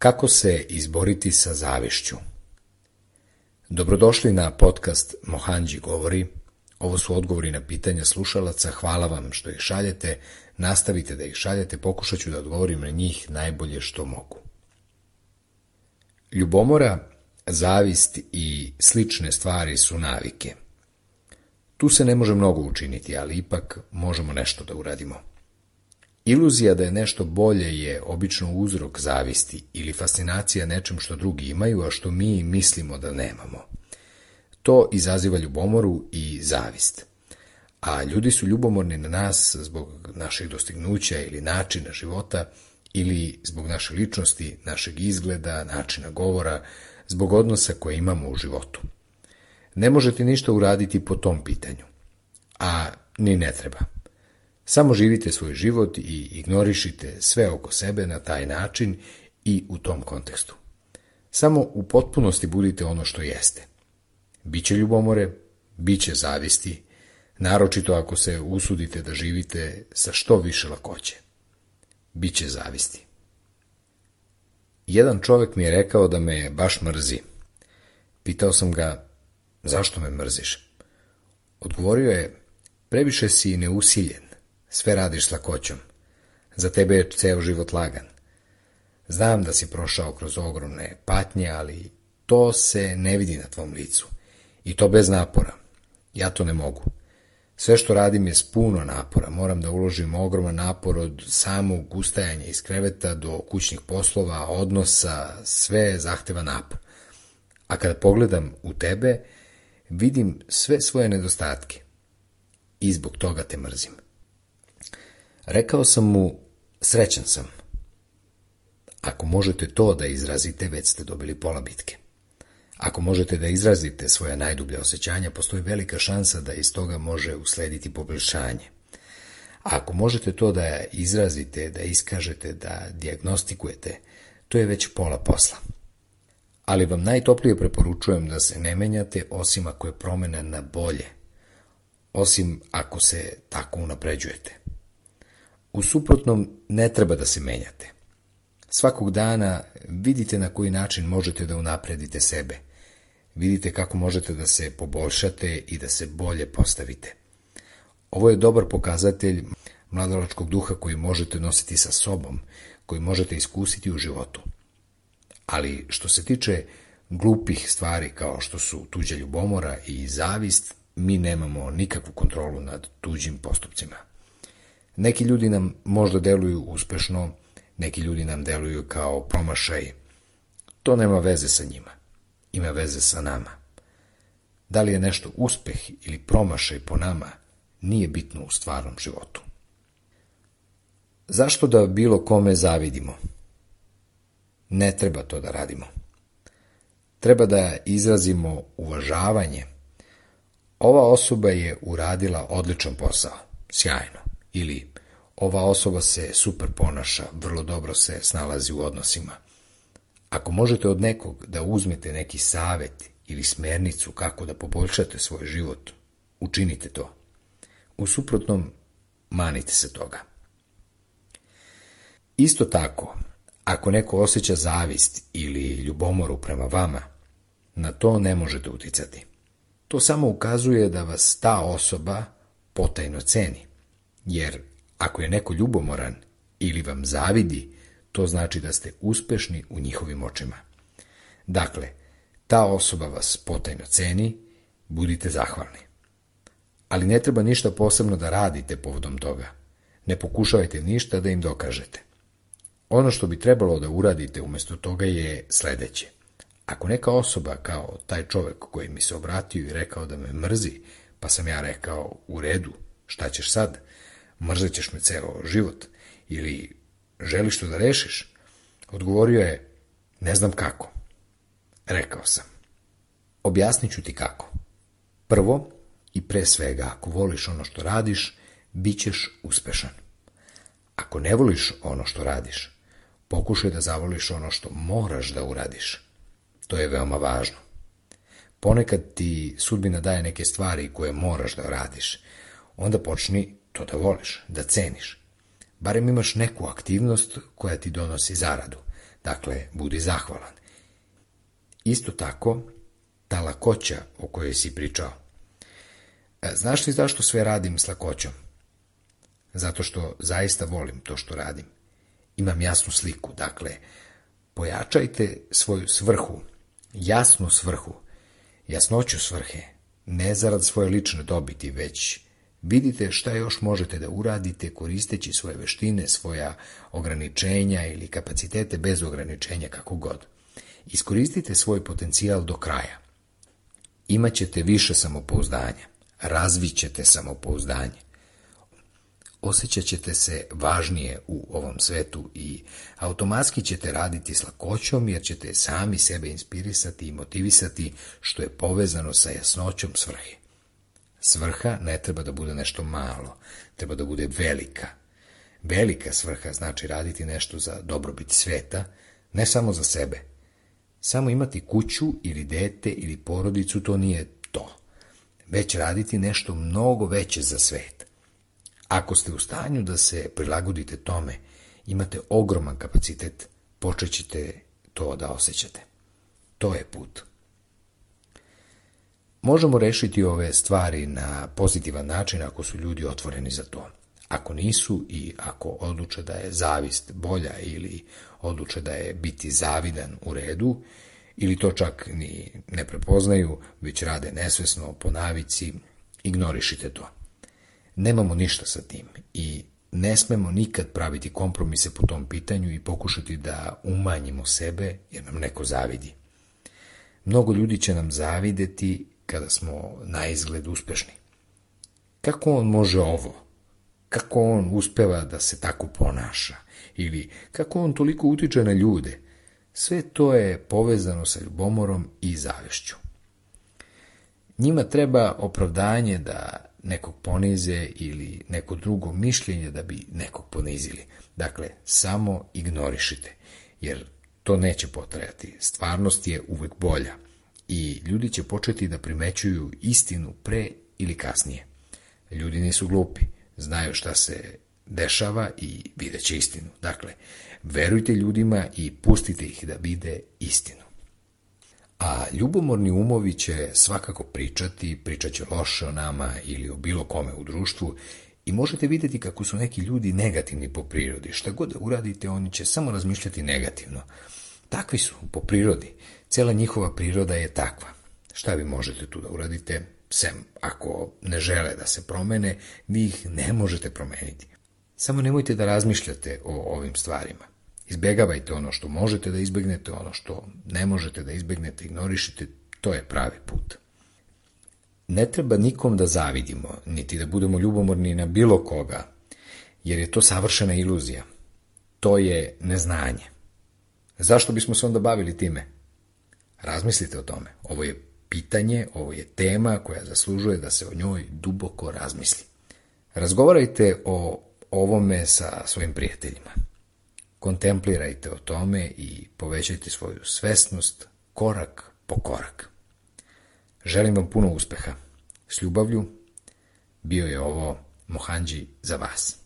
Kako se izboriti sa zavišću? Dobrodošli na podcast Mohanđi govori. Ovo su odgovori na pitanja slušalaca. Hvala vam što ih šaljete. Nastavite da ih šaljete. Pokušat ću da odgovorim na njih najbolje što mogu. Ljubomora, zavist i slične stvari su navike. Tu se ne može mnogo učiniti, ali ipak možemo nešto da uradimo. Iluzija da je nešto bolje je obično uzrok zavisti ili fascinacija nečem što drugi imaju, a što mi mislimo da nemamo. To izaziva ljubomoru i zavist. A ljudi su ljubomorni na nas zbog naših dostignuća ili načina života, ili zbog naše ličnosti, našeg izgleda, načina govora, zbog odnosa koje imamo u životu. Ne možete ništa uraditi po tom pitanju, a ni ne treba. Samo živite svoj život i ignorišite sve oko sebe na taj način i u tom kontekstu. Samo u potpunosti budite ono što jeste. Biće ljubomore, biće zavisti, naročito ako se usudite da živite sa što više lakoće. Biće zavisti. Jedan čovjek mi je rekao da me baš mrzi. Pitao sam ga, zašto me mrziš? Odgovorio je, previše si neusiljen. Sve radiš s lakoćom. Za tebe je ceo život lagan. Znam da si prošao kroz ogromne patnje, ali to se ne vidi na tvom licu. I to bez napora. Ja to ne mogu. Sve što radim je s puno napora. Moram da uložim ogroman napor od samog ustajanja iz kreveta do kućnih poslova, odnosa, sve zahteva napor. A kada pogledam u tebe, vidim sve svoje nedostatke. I zbog toga te mrzim. Rekao sam mu, srećan sam. Ako možete to da izrazite, već ste dobili pola bitke. Ako možete da izrazite svoja najdublja osjećanja, postoji velika šansa da iz toga može uslediti poboljšanje. A ako možete to da izrazite, da iskažete, da dijagnostikujete, to je već pola posla. Ali vam najtoplije preporučujem da se ne menjate, osim ako je promena na bolje, osim ako se tako unapređujete. U suprotnom, ne treba da se menjate. Svakog dana vidite na koji način možete da unapredite sebe. Vidite kako možete da se poboljšate i da se bolje postavite. Ovo je dobar pokazatelj mladalačkog duha koji možete nositi sa sobom, koji možete iskusiti u životu. Ali što se tiče glupih stvari kao što su tuđa ljubomora i zavist, mi nemamo nikakvu kontrolu nad tuđim postupcima. Neki ljudi nam možda deluju uspešno, neki ljudi nam deluju kao promašaj. To nema veze sa njima. Ima veze sa nama. Da li je nešto uspeh ili promašaj po nama, nije bitno u stvarnom životu. Zašto da bilo kome zavidimo? Ne treba to da radimo. Treba da izrazimo uvažavanje. Ova osoba je uradila odličan posao, sjajno. Ili ova osoba se super ponaša, vrlo dobro se snalazi u odnosima. Ako možete od nekog da uzmete neki savet ili smernicu kako da poboljšate svoj život, učinite to. U suprotnom, manite se toga. Isto tako, ako neko osjeća zavist ili ljubomoru prema vama, na to ne možete uticati. To samo ukazuje da vas ta osoba potajno ceni. Jer ako je neko ljubomoran ili vam zavidi, to znači da ste uspešni u njihovim očima. Dakle, ta osoba vas potajno ceni, budite zahvalni. Ali ne treba ništa posebno da radite povodom toga. Ne pokušavajte ništa da im dokažete. Ono što bi trebalo da uradite umjesto toga je sledeće. Ako neka osoba, kao taj čovjek koji mi se obratio i rekao da me mrzi, pa sam ja rekao, u redu, šta ćeš sad? Mrzet ćeš me ceo život, ili želiš to da rešiš? Odgovorio je, ne znam kako. Rekao sam, objasnit ću ti kako. Prvo i pre svega, ako voliš ono što radiš, bit ćeš uspešan. Ako ne voliš ono što radiš, pokušaj da zavoliš ono što moraš da uradiš. To je veoma važno. Ponekad ti sudbina daje neke stvari koje moraš da radiš. Onda počni to da voliš, da ceniš. Barem imaš neku aktivnost koja ti donosi zaradu. Dakle, budi zahvalan. Isto tako, ta lakoća o kojoj si pričao. Znaš li zašto sve radim s lakoćom? Zato što zaista volim to što radim. Imam jasnu sliku, dakle, pojačajte svoju svrhu, jasnu svrhu, jasnoću svrhe, ne zarad svoje lične dobiti, već vidite šta još možete da uradite koristeći svoje veštine, svoja ograničenja ili kapacitete bez ograničenja, kako god. Iskoristite svoj potencijal do kraja. Imaćete više samopouzdanja, razvićete samopouzdanje. Osjećat ćete se važnije u ovom svetu i automatski ćete raditi s lakoćom jer ćete sami sebe inspirisati i motivisati, što je povezano sa jasnoćom svrhe. Svrha ne treba da bude nešto malo, treba da bude velika. Velika svrha znači raditi nešto za dobrobit sveta, ne samo za sebe. Samo imati kuću ili dete ili porodicu, to nije to. Već raditi nešto mnogo veće za svet. Ako ste u stanju da se prilagodite tome, imate ogroman kapacitet, počet ćete to da osjećate. To je put. Možemo rešiti ove stvari na pozitivan način ako su ljudi otvoreni za to. Ako nisu i ako odluče da je zavist bolja ili odluče da je biti zavidan u redu, ili to čak ni ne prepoznaju, već rade nesvesno po navici, ignorišite to. Nemamo ništa sa tim i ne smemo nikad praviti kompromise po tom pitanju i pokušati da umanjimo sebe jer nam neko zavidi. Mnogo ljudi će nam zavideti kada smo na izgled uspešni. Kako on može ovo? Kako on uspeva da se tako ponaša? Ili kako on toliko utiče na ljude? Sve to je povezano sa ljubomorom i zavešću. Njima treba opravdanje da nekog ponize ili neko drugo mišljenje da bi nekog ponizili. Dakle, samo ignorišite, jer to neće potrajati. Stvarnost je uvek bolja i ljudi će početi da primećuju istinu pre ili kasnije. Ljudi nisu glupi, znaju šta se dešava i vidjet će istinu. Dakle, verujte ljudima i pustite ih da vide istinu. A ljubomorni umovi će svakako pričat će loše o nama ili o bilo kome u društvu i možete vidjeti kako su neki ljudi negativni po prirodi. Šta god da uradite, oni će samo razmišljati negativno. Takvi su po prirodi. Cela njihova priroda je takva. Šta vi možete tu da uradite? Sem ako ne žele da se promene, vi ih ne možete promeniti. Samo nemojte da razmišljate o ovim stvarima. Izbegavajte ono što možete da izbegnete, ono što ne možete da izbegnete, ignorišite, to je pravi put. Ne treba nikom da zavidimo, niti da budemo ljubomorni na bilo koga, jer je to savršena iluzija. To je neznanje. Zašto bismo se onda bavili time? Razmislite o tome. Ovo je pitanje, ovo je tema koja zaslužuje da se o njoj duboko razmisli. Razgovarajte o ovome sa svojim prijateljima. Kontemplirajte o tome i povećajte svoju svesnost korak po korak. Želim vam puno uspeha. S ljubavlju, bio je ovo Mohanđi za vas.